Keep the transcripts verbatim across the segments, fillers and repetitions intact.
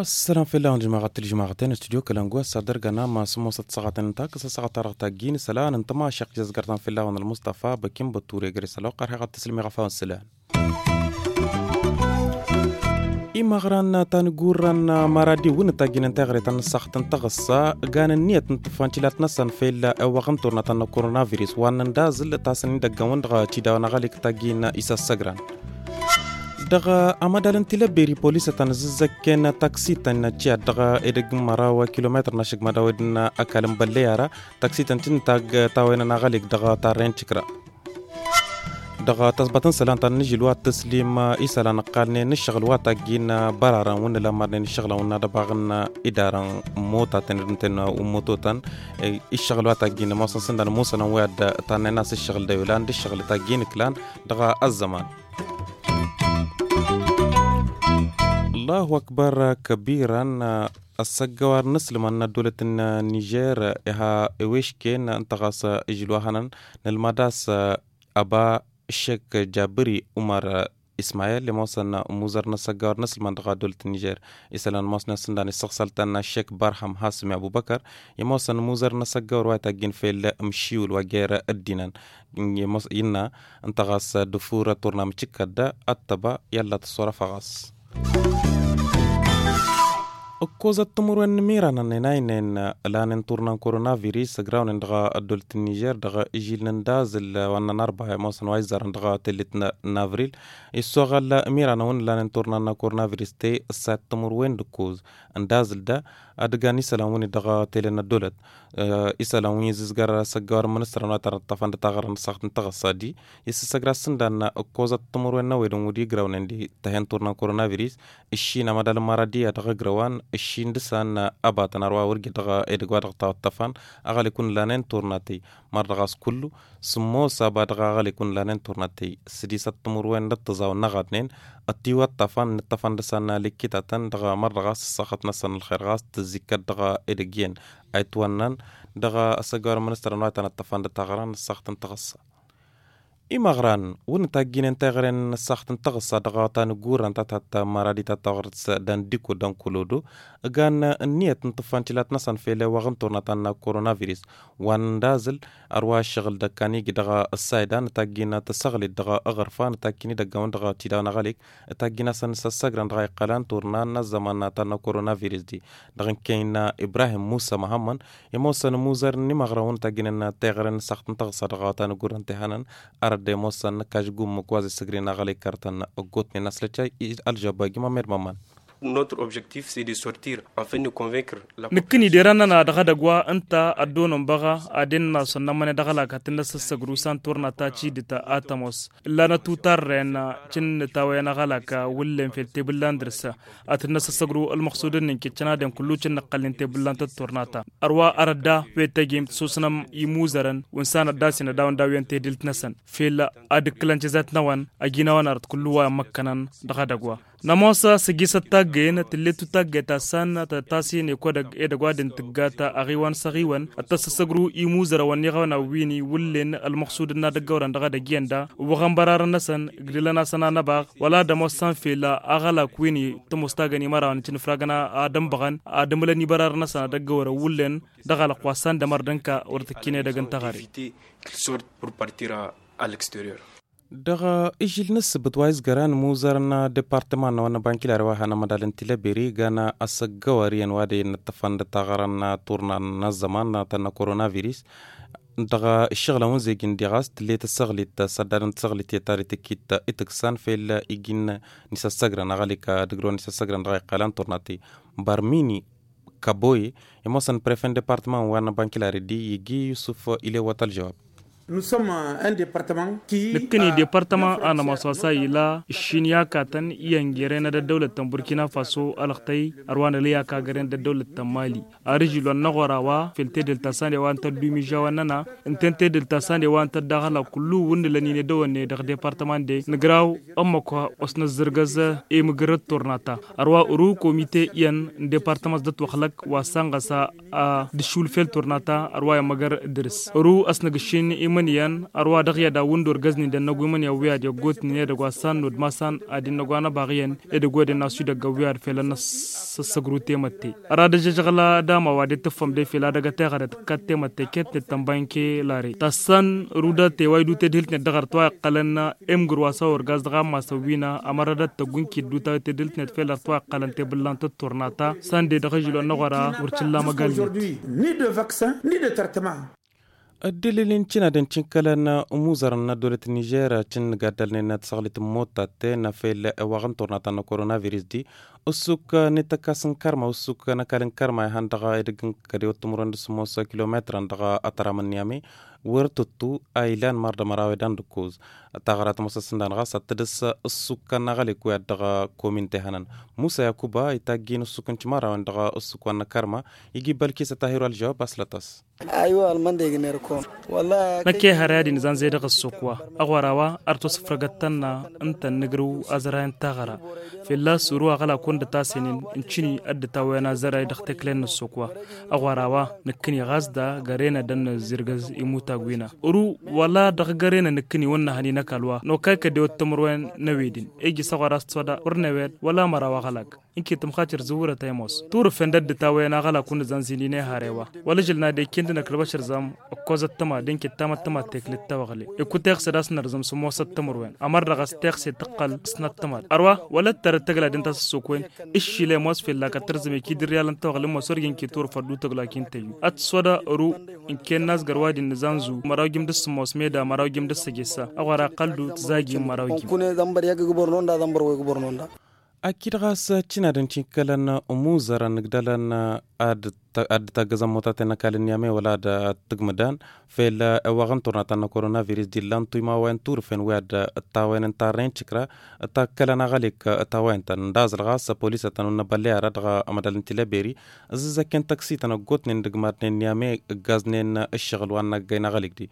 Ăssălam fell-awăn jămaɣăt tǝlǝjmaɣăten studio kălăngu ăssa dăr-găna ma sǝmmosăt săɣatăn n-takǝs ăssaɣăt-a-dăɣ taggin isălan n-tămašăɣt i-ăzgăr-tăn fell-awăn ălmustafa băkin bătture gre-s ălwăqq ar heɣ ad-tǝslǝm iɣăfawăn sălan. Imăɣran tanigurran maradi wǝnnǝt taggin n-teɣre ta n-ăssaɣt n-taɣǝssa gan ǝnniyăt n-tǝffan tilat-năsăn fell-ewăɣ n-turna ta n-koronavirus wa n-ăndazǝl tasăn idăggăn-wǝn dăɣ-tidawăn aɣalik taggin isăssăgran. Dăɣ-amădal n-tilăbberi polisătăn zǝzzăkken taksităn tiyyăt dăɣ-edăgg n-măraw kilometăr n-ašăgg mădawed n-ăkall n-bălley ara taksităn tǝnnǝtag tawăynăn aɣalik dăɣ-tarrăy n-tikra. Dăɣ-tăẓbat n-isălan ta n-inǝžǝl wa t-tǝslim isălan ǝqqalnen n-ǝššăɣǝl wa taggi n-bărarăn wǝnnǝla mărnen ǝššăɣǝlăn wǝnnă ad-ăbaɣ n-idarăn motatăn d-ǝnten ummătotăn ǝššăɣǝl wa taggi n-ămoosăn s-ǝndan musănăn wi ad-tannăyăn a-s ǝššăɣǝl d-ayulan d-ǝššăɣǝl taggi n-ǝklan dăɣ-ăzzăman. Allahu akbar kăbirăn. Ăssăggăwar n-asǝlman n-ăddolăt n-nižer iha iwešken ǝnta ɣas ižǝl wa hănăn nǝlmad a-s ăba ăššek jabri umar ismayel i-ămoosăn muzăr n-ăssăggăwar n-asǝlman dăɣ-ăddolăt n-nižer isălan ămoosnen s-ǝndan issăɣsăl-tăn ăššek barham hasǝmi abubăkăr i-ămoosăn muzăr n-ăssăggăwar wa ităggin fel ǝmšiwǝl wa jer-ăddinăn. Innă ǝnta ɣas dăfur turna mǝcǝkkăt d-ăttăba i-ălla tǝssorăfăɣ ɣas. Ǝkkozăt timǝrwen n-imiranăn inaynen lanen turna n-koronavirus ăgrawnen dăɣ-ăddolăt n-nižer dăɣ-ižil n-ăndazǝl wa n-ănarba i-ămoosăn wa izzarăn dăɣ-tellet n-avril. Issoɣăl imiranăn wǝnnǝlanen turna n-koronavirus te ǝssayăt timǝrwen d-ǝkkoz ăndazǝl da ad-ǝgan isălan wǝnnǝt dăɣ-tele n-ăddolăt. Isălan wi n-izǝzgăr s-ăggăwar n-ministăr n-wa tărăṭṭăfăn d-taɣărăn s-aɣt n-taɣăssa di isǝssăgra s-ǝndan ǝkkozăt timǝrwen n-ăwedăn wǝd-igrawnen d-tăhen turna n-koronavirus. Ǝššin amădal n-măradiya dăɣ-igrăwan ǝššin dăr-san ăbatăn arwa wăr jed dăɣ-edăgg wa dăɣ-tawăttăfan aɣălek wǝnnǝlanen turna tey mărdăɣ a-s kullu sǝmmos aba dăɣ-aɣălek wǝnnǝlanen turna tey. Sădisăt timǝrwen d-ăṭṭăẓaw n-ăɣadnen ătiwăṭṭăfăn n-ǝṭṭăfăn dăr-san n-alǝkkitatăn dăɣ-mărdăɣ a-s ăssaɣăt-năsăn ălxer ɣas tǝzzikăt dăɣ-edăgg iyyăn a itwănnăn dăɣ-asăggăwar n-ministăr n-wa tăn-ăṭṭăfăn d-taɣra n-ăssaɣăt n-taɣăssa. Imăɣran wǝnnǝt a ǝgginen teɣăren n-ăssaɣăt n-taɣăssa dăɣ-tanǝggurrăn ta tattămmăradi ta taɣrǝt dandiko dankolodo ǝgan ǝnniyăt n-tǝffan tilat-năsăn fel ewăɣ n-turna ta n-koronavirus wa n-ăndazǝl. Ărwa ǝššăɣǝl d-ăkkan iji dăɣ-ăssayda n-taggi n-tăsăɣlit dăɣ-aɣărfa n-takkin idăggăwăn dăɣ-tidawăn aɣălek taggi n-asăn s-ăssăgrăn dăɣ-a iqqălan turna n-ăzzăman ta n-koronavirus di dăɣ-n kăyna ibrahim musa măhămmăn. Imoosăn imuzăr n-imăɣrăwăn taggi n-teɣăren n-săɣt n-tăɣsa dăɣ-tanăggurrăn tehănăn arădde imoosăn n-kažgum măkwaze săgrin aɣălek kărtăn ăggotnen aslăcay. Ălžăbba jimămmed mămman. Năkkăni derăn-nănăɣ dăɣ-edăgg wa ǝnta ăddoonăn băɣa ad-ennăsăn n-ămăne dăɣ-ălak ad-tǝnnăs ăssăgru s-an turna ta cidǝt a tămoos ǝllanăt utarren cǝnnǝt a-wa enăɣ ălak wǝllen fel tebǝllan dăr-s ad-tǝnnăs ăssăgru ălmăɣsud-ǝnnin kǝccăn ad-en kullu cǝnnăɣ-tăn tebǝllan tăt-turna ta. Ărwa arădda wet tăjjem tǝsusnăm imuzărăn wi n-sanăt d-asin ad-awăn dawǝyăn tedǝlt-năsăn fel ad-ǝkkǝlăn cizăt-năwăn ăjinawăn arăt kullu wa ămmăkkănăn dăɣ-edăgg wa. Nămoos săjjisăt taggăyăn tǝllet-dd taggăyt ta s-an tăt-tasin ekodăg edăgg wa dăɣ-tǝggat aɣiwăn s-aɣiwăn ad-tăssăssăgru imuzărăn wa n-iɣawăn a win-iwǝllen ălmăɣsud n-ad-ăggăwrăn dăɣ-edăgg-iyyăn da ǝwwăɣăn bărarăn-năsăn ǝgdǝlăn-asăn anăbaɣ wăla ad-ămoos s-an fel aɣălak win-tămoos tagăn imărawăn icǝnǝfragăn ad-ănbăɣăn ad-ǝmǝlăn ibărarăn-năsăn ad-ăggăwrăn wǝllen dăɣ-alăqq wa s-an d-ămărdăn ka wăr tǝkkin edăgg n-teɣăre. Dăɣ-ižil n-ǝssǝbǝt wa izgărăn imuzărăn departăman n-awăn n-abankilar wa han amădal n-tilăberi gan asăggăwăr iyyăn wa dăy-nǝttăfăn d-taɣărăn turna n-ăzzăman ta n-koronavirus. Dăɣ-ǝššăɣǝlăn wǝnzejăn diɣas tǝllet ăssaɣlit s-ăddadăn tǝssaɣlit i-ta dăy-tǝkkit itǝksan fel ijin n-isăssăgrăn aɣălik ad-ǝgrăwăn isăssăgrăn dăɣ-a iqqălan turna ti. Bărmini kaboye imoosăn prefe n-departăman wa n-abankilar di iji yusǝf ilewăt ălžăwab. Nǝkkǝni departăman a nămoos wa s-a ila ǝššin i-akatăn iyyăn geren d-ăddăwlăt ta n-burkina faso ălăɣtăy ărwa nălăy aka găren d-ăddăwlăt ta n-mali. Ar ǝžǝl wa n-aɣora wa fel tedǝlt ta s-ande wa ǝnta ăddumiža wa n-năna ǝnta n-tedǝlt ta s-ande wa ǝnta ăddaɣăla kullu wǝnnǝlăn-in edăwănne dăɣ-departăman de nǝgraw ămmăk wa osnăzzărgăz i-mǝgǝr d-turna ta ărwa ăru komite iyyăn n-departăman s-dăt-wăxlăk wa s-anɣăsa a dăšul fel turna ta ărwa i-ămmăgăr dăr-s ăru ăsnăgǝššin imǝnǝyăn ărwa dăɣ-i ad-awǝndor găznin d-ănnăgu imǝnǝyăn wi ad-iggotnen edăgg wa s-annod ma s-an ad-innăgu anăbaɣ iyyăn edăgg wa d-inna s-idăgg ăwwi ad-fel ănnăssăssăgrut i-mătte. Ăra d-ăžžăžăɣla dama wa d-e-tǝffăm de fel ad-ăgg ăteɣăre tǝkkat temătte ketnet tănba inke lare tassan ruda teway du tedhǝlt-net dăɣ-arăt wa iqqălăn emgǝr wa s-a orgaz dăɣ-ammas ăwwina ămărădăt tăggunkit dutaw tedhǝlt-net fel arăt wa iqqălăn tebǝllant d-turna ta sănde dăɣ-ažǝlo n-aɣora wăr cǝlla măgall-net. Ni de vaccin ni de trătăma. Ăddălil n-cǝnadăn cǝnkălăn ămuzărăn n-ăddolăt n-nižer cǝnnǝgaddălnen tăsăɣlit n-motatten fel ewaɣ n-turna ta n-koronavirus di ǝssuk n-ităkkas n-kărma ǝssuk n-ăkall n-kărma ihăn dăɣ-edăgg n-kădewăt timǝrwen d-sǝmmos kilometrăn dăɣ-ătram n-niyame wăr tǝttu a ilan mărdămăraw edan d-ǝkkoz. Taɣăra tămoosăt s-ǝndan ɣas ad-tǝdǝs ǝssukăn n-aɣălek wi ad-dăɣ-komin tehănăn musa yakuba itaggi n-ǝssuk n-timărawen dăɣ-ǝssuk wa n-kărma iji bălkisăt ahiru ălžăwab aslăt-as. Năkk ehăre ad-inǝzanze dăɣ-ǝssuk wa ăɣora wa ar tosǝfrăgăt tănna ǝnta n-inǝgrǝw azăray n-taɣăra fălla-s uru aɣălak wăr dăt-asǝnen n-cǝni ăddătawăyăn azăray dăɣ-tekle n-ǝssuk wa. Ăɣora wa nǝkkǝni ɣas da gărenădăn n-azirgăz imutag wina uru wăla dăɣ-gărenăn nǝkkǝni wăr nǝhăn i-năkall wa n-okay kădewăt timǝrwen n-ewedǝn ejǝs ăɣora s-tiwăda wăr newed wăla măraw aɣălak. Ǝnke tǝmxatir zǝwwărăt a imoos turǝfen d-ăddǝtawăyăn aɣălak wăr nǝzanzin-in ehare wa wăla ǝžǝl n-ad-ekǝn d-năkk ălbăšăr zam ǝkkoẓăt tăma d-ǝnke tamăttăma teklet tawăɣle. Ikut exed a-s nărzăm sǝmmosăt timǝrwen ămăr dăɣ-s texse tǝqqăl ăsnăt tăma d-ărwa wăla ăttărăt tăgladent a-s ăssokwen ǝššil a imoos fellak ad-tărzăm ekid ǝrriyalăn tawăɣle ămoos wăr ijăn ki turǝfăt d-utăgg lakin tăyyu ad-tǝswăda ăru. Ǝnken n-azgăr wa d-innǝzanzu măraw jim d-sǝmmos meda măraw jim d-săjessa ăɣora ăqqăl-du tǝzagin măraw jim. Akid ɣas cǝnadăn tinkălăn ămuzărăn ǝgdălăn ad-dd-taggăzăn motaten n-ăkall n-niyame wăla ad-tǝgmǝdan fel ewaɣ n-turna ta n-koronavirus d-illan tuyma wa n-turǝfen wi ad-ǝttawăyăn n-tarrăy n-tikra. Takkălăn aɣălek ǝttawăyăn-tăn ǝndazăl ɣas polisătăn wăr năbălley ara dăɣ-amădal n-tileberi ǝzzǝzzăkken tăksităn ăggootnen d-ǝgmadnen n-niyame ǝggaznen ǝššăɣǝl wa n-năggăy n-aɣălek-di.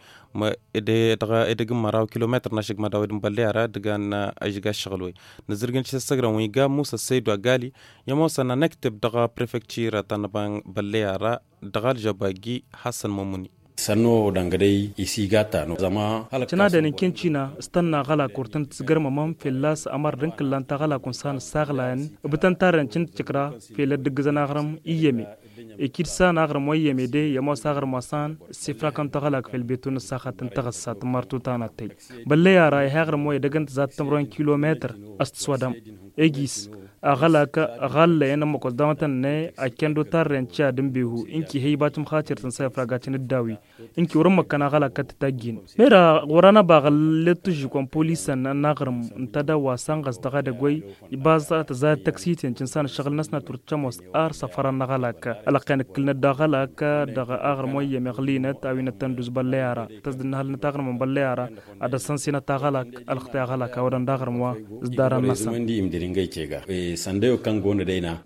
Dăɣ-edăgg n-măraw kilometăr n-ašǝgmăd a-wa d-nǝbălley ara dăgg-an ǝžga ǝššăɣǝl-wen nǝzzǝrgǝn tisăssăgrăn wi ga musa săydu agali i-ămoosăn anăkteb dăɣ-prefektir ta n-nǝbălley ara dăɣ-alžăbagi. Hasăn mămuni. Sănnu dăngădăy isiga ta n-zăma. Cănadăn n-kincina s-tănna aɣălak wăr tăn-tǝzgărmămăn fălla-s ămăr d-ǝnkǝllan taɣălak wăn s-han ǝssaɣlayăn ǝbǝtăn tarrăn cǝntǝcǝkra fel ăddǝggǝzăn aɣrǝm iyyăme. Ikid s-han aɣrǝm wa iyyăme de i-ămoos aɣrǝm wa s-han ǝssifrakăn taɣălak fel betu n-ǝssaxat n-taɣǝssat n-martuta n-attăy. Bălley ara ih' aɣrǝm wa edăgg n-tǝzat timǝrwen kilometăr a-s tǝswădăm. Egis aɣălak ɣallăyăn ămmăkos dăɣ-mătăn-ne. Akkăndo tarrăyăn tiya d-ǝnbehu ǝnki hăybat mxatir tǝnsa ifragacăn d-dawi. Ǝnki wăr-ǝmmăkkăn aɣălak kăt-tătaggin mera ɣur-anăbaɣ ăllet tužžukăn polisăn n-aɣrǝm n-tadawwa s-anɣăs dăɣ-edăgg wa. Ibaz tăzayăt tăksiten cǝnsan ǝššăɣǝl-năsnăt wăr t-ămoos ar săfărăn n-aɣălak ălăqqen ǝkkǝlnăt d-aɣălak dăɣ-aɣrǝm wa iyyăm iɣlinăt a-wi năttănduz băllăy ara tăzdǝnnăhălnăt aɣrǝm n-băllăy ara ad-ăssănsinăt aɣălak. Ălxtăy aɣălak a-wădăn d-aɣrǝm wa s-dd-arăn-năsăn. Săndăy okăngo n-dăyna.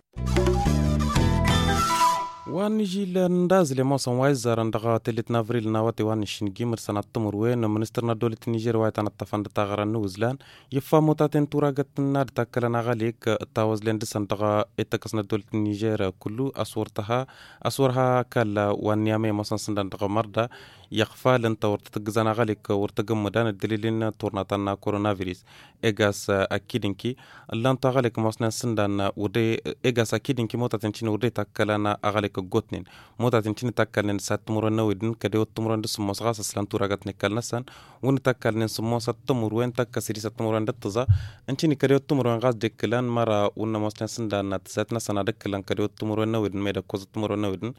Wa n-ižil n-dazǝl i-ămoosăn wa izzarăn dăɣ-tellet n-avril n-awătay wa n-išǝngimăd sănat timǝrwen ministăr n-ăddolăt n-nižer wa itănăṭṭăfăn d-taɣăra n-iwǝzlan. Ifa mutaten turagăt n-ad-takkălăn aɣălek ǝttawăzlen dăɣ-săn dăɣ-ităkkăs n-ăddolăt n-nižer kullu a-s wăr t-ha a-s wăr ha kall wa n-niyamăy ămoosăn sǝndan dăɣ-mărda. Iɣfalăn ta wăr t-tǝggǝzăn aɣălek wăr t-ăgg ǝmmǝdan ăddălil n-turna ta n-koronavirus. Egas akid-inki ǝllan-tu aɣălek ămoosnen sǝndan wăr de egas akid-inki mutaten cini wăr de takkălăn aɣălek ăggootnen. Mutaten cini takkălnen sat timǝrwen n-ewedǝn kădewăt timǝrwen d-sǝmmos ɣas ăslan turagăt n-ikall-năsăn. Wǝnni takkălnen sǝmmosăt timǝrwen takkăs-dd isăt timǝrwen d-ǝṭṭǝẓa. N-cini kădewăt timǝrwen ɣas d-ekkǝlăn măra wǝnn' ămoosnen sǝndan tǝzat-năsăn ad-ǝkkǝlăn kădewăt timǝrwen n-ewedǝn meda ǝkkoẓăt timǝrwen n-ewedǝn.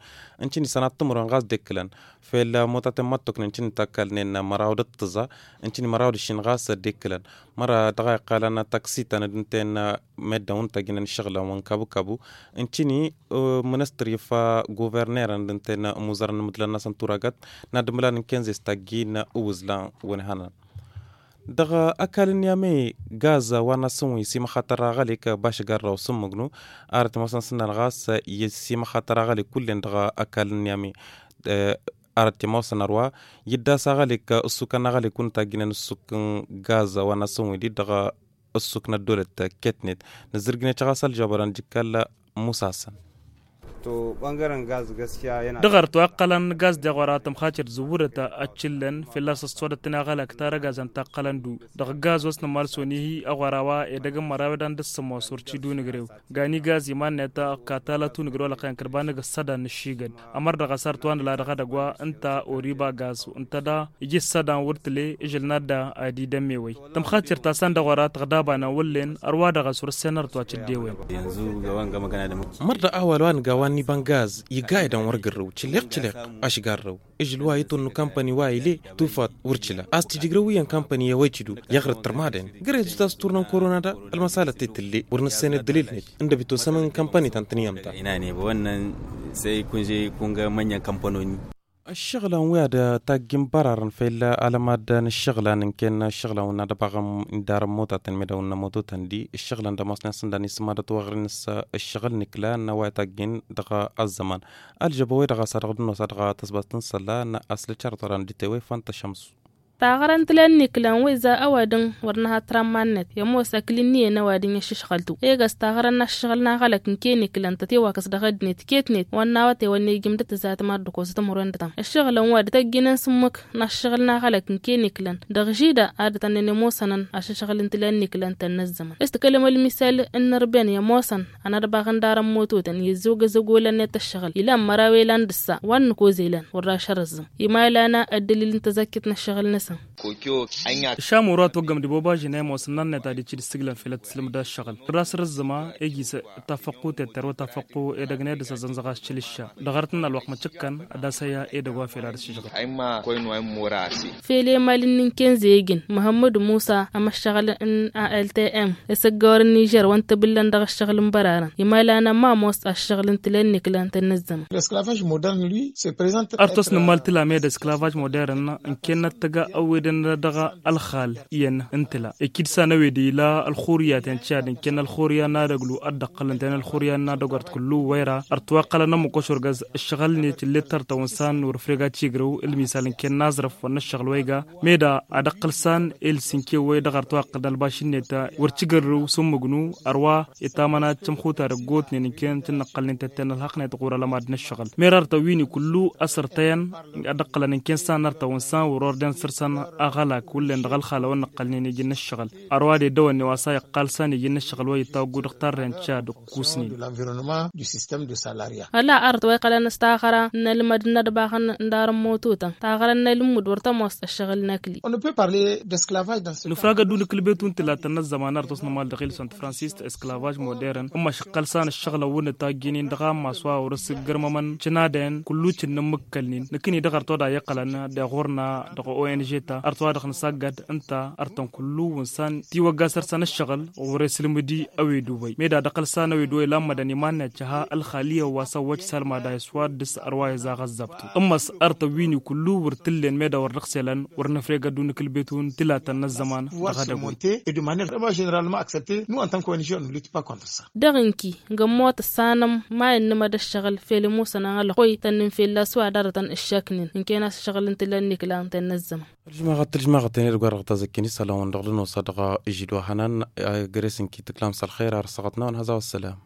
N-cini sănat timǝrwen ɣas d-ekkǝlăn fel mutaten. Măttok n-ǝncǝn n-takkalnen măraw d-ǝṭṭǝẓa, ǝncǝn măraw d-ǝššin ɣas dd-ikkǝlăn măra dăɣ-a iqqalăn taksi-tăn d-ǝnta-en. Meddǝn wa n-tagginăn ǝššăɣǝlăn wa n-kabu-kabu ǝncǝni. Mǝnǝstăr ifa guvernerăn d-ǝnta-en ămuzărăn n-imǝḍlan-năsăn turagăt n-ad-ǝmlan n-kenze s-taggi n-uwǝzlan wa n-ihănan. Dăɣ-ăkall n-iame gaz wa n-asǝnwǝy s-imăxatăr aɣălik bašǝgarrăw s-ǝmmǝgnu. Arăt i-mosăn s-ǝnnan ɣas s-imăxatăr aɣălik kull-en dăɣ-ăkall n-iame. Arăt i-mosăn ărwa yǝddas aɣălik ǝssukăn aɣălik wa n-tagginăn ǝssuk n-gaz wa n-asǝnwǝy-di dăɣ-ǝssuk n-ăddolăt ketnet. Nǝzzǝrgǝnet ɣas ălžăbărăn dd-ikkăl musasăn. Dăɣ-ărtu a ǝqqălăn gaz deɣ wăr-a tămxacer zǝwwǝdăt ăččǝllăn fălla-s ăssodăt-tăn i-aɣălak tarăgazăn ta ǝqqălăn du dăɣ-gaz wa s-nǝmmal s-onihi ăɣora wa edăgg n-măraw edan d-ǝssǝmmos wăr t-idunǝgrew. Gani gaz iman-net ăkka tala tunǝgrew ălxăyăn kăd-banăg ăssădan n-ǝššigăd. Ămăr dăɣ-asar tăwandăla dăɣ-edăgg wa ǝnta oriba gaz ǝnta da iji ǝssădan wăr tǝle. Ǝžǝl n-adda ad-idămmewăy tămxacer ta san dăɣ-wăra tăɣdabanăn wăllen ărwa dăɣ-a-s wăr-ǝssen ărtwa cǝddewen. Măr dăɣ-awal wa nǝga wa n-iba n-gaz igga edăn wăr gărrăw cǝlleɣ-cǝlleɣ. Ašgarrăw ǝžǝl wa iṭul n-kampani wa ile tufat wăr cǝla a-s tijǝgrăw iyyăn kampani i-awăy cǝdu. Iɣrǝd tărmadăn gărăy zutas turnăn korona da. Ălmăsalăt i-tǝlle wăr nǝssen ăddălil-net ǝndăb itosăm n-kampani ta n-tǝnǝyyăm ta. Ăššăɣǝlăn wi ad-taggi n-bărarăn făyǝlla alămad n-ǝššăɣǝlan n-ken ǝššăɣǝlan wǝnna d-ăbaɣăm n-darăn motatăn medaw n-ămototăn-di ǝššăɣǝlăn d-ămoosnen s-ǝndan isǝmmadăt wa ɣur-inǝs. Ǝššăɣǝl n-ikla n-a-wa itaggen dăɣ-ăzzăman ălžăbăwăy dăɣ-a-s ad-dăɣ-dănnosa dăɣ-tăsbast n-isălla n-aslăčarăt wăran d-itewăy făntăšămsu. Taɣărăn tǝlăn n-iklan wi za ăwadǝm wăr nǝha-t ramman-net i-ămoos ăkli n-iyyăn ăwadǝm i-ašǝšɣăl-tu. Egăs taɣărăn n-aššăɣǝl n-aɣălăk n-ken iklan tătewakăs dăɣ-ăddinăt ketnet wa n-nawăte wa n-ejǝm d-tǝzatăm ad-dd-kosăt ămăro n-dăɣ-tăn ǝššăɣǝlăn wa d-tăjjǝnen s-ǝmmǝk n-aššăɣǝl n-aɣălăk n-ken iklan dăɣ-žida ad-dd-tănnen i-ămoosănăn ašǝšɣǝl n-tǝlăn n-iklan tănnăzzămăn. S-tǝkălăm ălmisal n-inărbăyăn i-ămoosăn anădbăɣ n-darăn mototăn i-ăzzogăzăg olăn-net ăššăɣǝl ilan măraw i-ilan d-ǝssa wa n-nǝkoz elăn wăr-ra ašărăzzăm. Ima ilan ăddălil n-tăzăkket n-ăššăɣǝl-năsăn. Ǝššam oro a toggăm d-ibobažin a imosăn n-arnet ad-icǝd ǝssǝglăn fel ad-tǝslǝmd ăššăɣǝl wăr-ra s-răzzǝma ejis tafăqqu tetter wa tafăqqu edăgg n-edăs ăzzănzăɣ a-s cǝlǝšša. Dăɣ-arăt n-alwăqq măcăkkăn ad-asăyya edăgg wa fel ad-sǝžɣǝl. Fel i-imal-in n-inkănze ijǝn măhămmăd musa ămăššăɣǝl n-altm isăggăwăr n-nižer wa n-tibǝllăn dăɣ-ǝššăɣǝl n-bărarăn imalan ămamos ăššăɣǝl n-tǝla ǝnniklăn tănnăzzămăn. Ărtos n-ǝmmal tǝla med ăsklavăj modern ǝnkennăt tăga ăwedăn dăɣ-ălxal iyyăn n-tǝla ikid-san ăwed ila ălxuriyat i-ăncad ǝnken ălxuriya n-ad-ăglu ad-dd-ăqqălăn ten ălxuriya n-ad-ăgort kullu wăyra. Ărtǝwaqqălăn ămmukoš wăr găz ǝššăɣǝl-net ǝllet tărtăwăn san wăr-ăfreg ad-tigrăw ǝlmisal ǝnken n-aẓrǝf wăr n-ǝššăɣǝl wa iga meda ad-ăqqǝl san i-ǝlsǝnkew wa i-dăɣ-ărtǝwaqqăl n-ălbaš-net. Wăr t-igărrǝw s-ǝmmǝgnu ărwa itamăna d-tamxuta dăgg-otnen ǝnken tǝnnăqqălnen tetten ălhăqq-net ɣur-ălămad n-ǝššăɣǝl. Mer ărtăwini kullu ăsărtăyăn ad-ăqqǝlăn ǝnken san ărtăwăn san wăr-ordăn săr-săn aɣălak wullen dăɣ-ălxalăwăn nǝqqălnen iji n-ǝššăɣǝl. Ărwa d-edăwănne wa s-a iqqal san iji n-ǝššăɣǝl wa ittawăggu dăɣ-tarrent ca d-ǝkkusnen. Ăla art wa iqqălăn s-taɣăra n-ălmăd n-ădbaxăn n-darăn mototăn taɣăra n-ălmud wăr tămoos ăššăɣǝl n-ăkli. Nǝfrag ădduun ǝkǝlbetun tǝlatăn n-ăzzăman art wa s-nǝmal dăɣ-ilson tǝfransist ăsklavăj modern ǝmmăš ǝqqăl san ǝššăɣǝlăn wǝnnǝt tajjinin dăɣ-ammas wa wăr-s ǝggărmămăn cǝnadăyăn kullu cǝnnǝmmǝkkălnin nǝkǝni dăɣ-art wa d-a iqqălăn. Deɣ ɣur-na dăɣ-ong ta art wa dăɣ-nǝsaggăd ǝnta artăn kullu wǝnsan tiwăgga săr-săn ǝššăɣǝl ɣur-e sǝlmǝdi ăwedubăy meda d-ăqqăl san ăwedubăy lammădăn iman-net căha ălxaliyăn wa s-ăwwăj salmada iswaddǝs ărwa izaɣ ăzzăbtu. Ǝmmăs ărtăn wini kullu wăr t-ǝllen meda wăr dăɣ-selăn wăr nǝfreg ădduun ǝkǝlbetun tǝlatăn n-ăzzăman. Dăɣ-edăgg-wen. Dăɣ-inki ngămmot ăssanăm ma innămăd ăššăɣǝl fel imusănăn ălxuy tănnǝn fella s-wa darătăn ǝššăknen ǝnken a-s ăššăɣǝl n-tǝlăn n-iklan tănnăzzămăn. Ălžmaɣăt ălžmaɣăt-en edăgg wa dăɣ-tazăkken isălan-wăn dăɣ-dănosa dăɣ-ižidwa hănan. Găre-s ǝnki tǝklam s-ălxer ar ăssaɣăt-năwăn hăza wa ăssălam.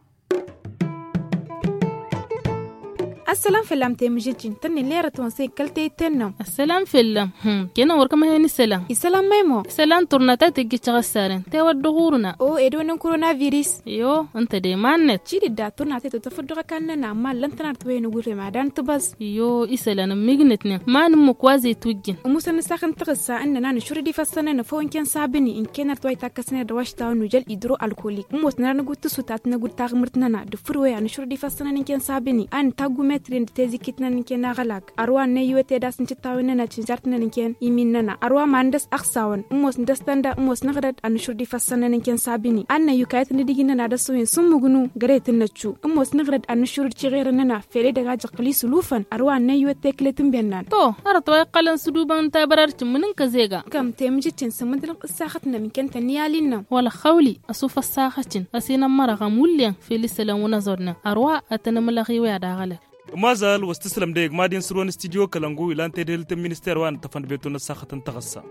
Ăssălam făllam temǝžǝjjin tănnin lerăt-wăn s-e-kăl-teyǝtten n-am. Ăssălam făllam. Kănăn wăr kămăhen isălan isălan măymo. Isălan turna ta tăjjǝt căɣăssaren tewăt dăɣ-urna o edăwăn n-koronavirus. Iyo ǝnta de iman-net. Cidǝdda turna ta tătăfăt dăɣ-ăkall-nănăɣ ma ǝllăn-tăn arăt wa inǝgurrem ad-anǝtbăẓ. Iyo isălan ǝmmijnătnen ma nǝmmǝk wa zey tujjǝn. Ămusăn n-asax n-taɣǝssa ǝnnăn a nǝšrǝd ifăssăn-nănăɣ făw ǝnken sabǝni ǝnken arăt wa itakkăsnen d-awašta wa n-ujăl idro-alkolik ămoosnen ad-nǝgud tǝsut ad-t-năgud taɣmǝrt-nănăɣ d-ǝffǝd wa i-ad-nǝšrǝd ifăssăn-nănăɣ ǝnken sabǝni a nǝtaggume. Tǝdden d-tezikit-năn n-ken aɣălag ărwa n-năyyuwăt ed a-s n-cǝttawen-nănăɣ cǝnžart-nănăɣ n-ken imin-nănăɣ ărwa ma n-dăɣ-s ăɣsawăn ǝmmos n-dăɣ-s tănda ǝmmos nǝɣrăd ad-nǝšur d-ifassăn-nănăɣ n-ken sabini ad-năyyukayăt n-idǝgin-nănăɣ ad-ăssoyăn s-ǝmmǝgnu gărăyăt n-năccu ǝmmos nǝɣrăd ad-nǝšur d-ciɣer-nănăɣ fel edăgg a jăqqǝl isǝlufăn ărwa n-năyyuwăt teklet n-bennan. To, hărăt wa iqqălăn s-ǝdubăn n-tabărart cǝmmǝnǝn kăzega. Kăm temǝjǝccen s-ǝmmǝdălăɣ ǝssaxăt-nănăɣ n-ken tănniyalin-nănăɣ wăla xawli ăsufăssaxăccen ăsinămmărăɣ ămullen fel isălan wăn-ăẓodnăn ărwa ad-tăn-ǝmǝlăɣ iwǝy ad-aɣălăl. Ămazal wa s-tǝslăm dăɣ-egg mad-in sǝrwăn studyo kălăngu ilan tedhǝlt n-minister wa n-ǝṭṭăfăn d-betu n-ăssaxăt n-taɣǝssa.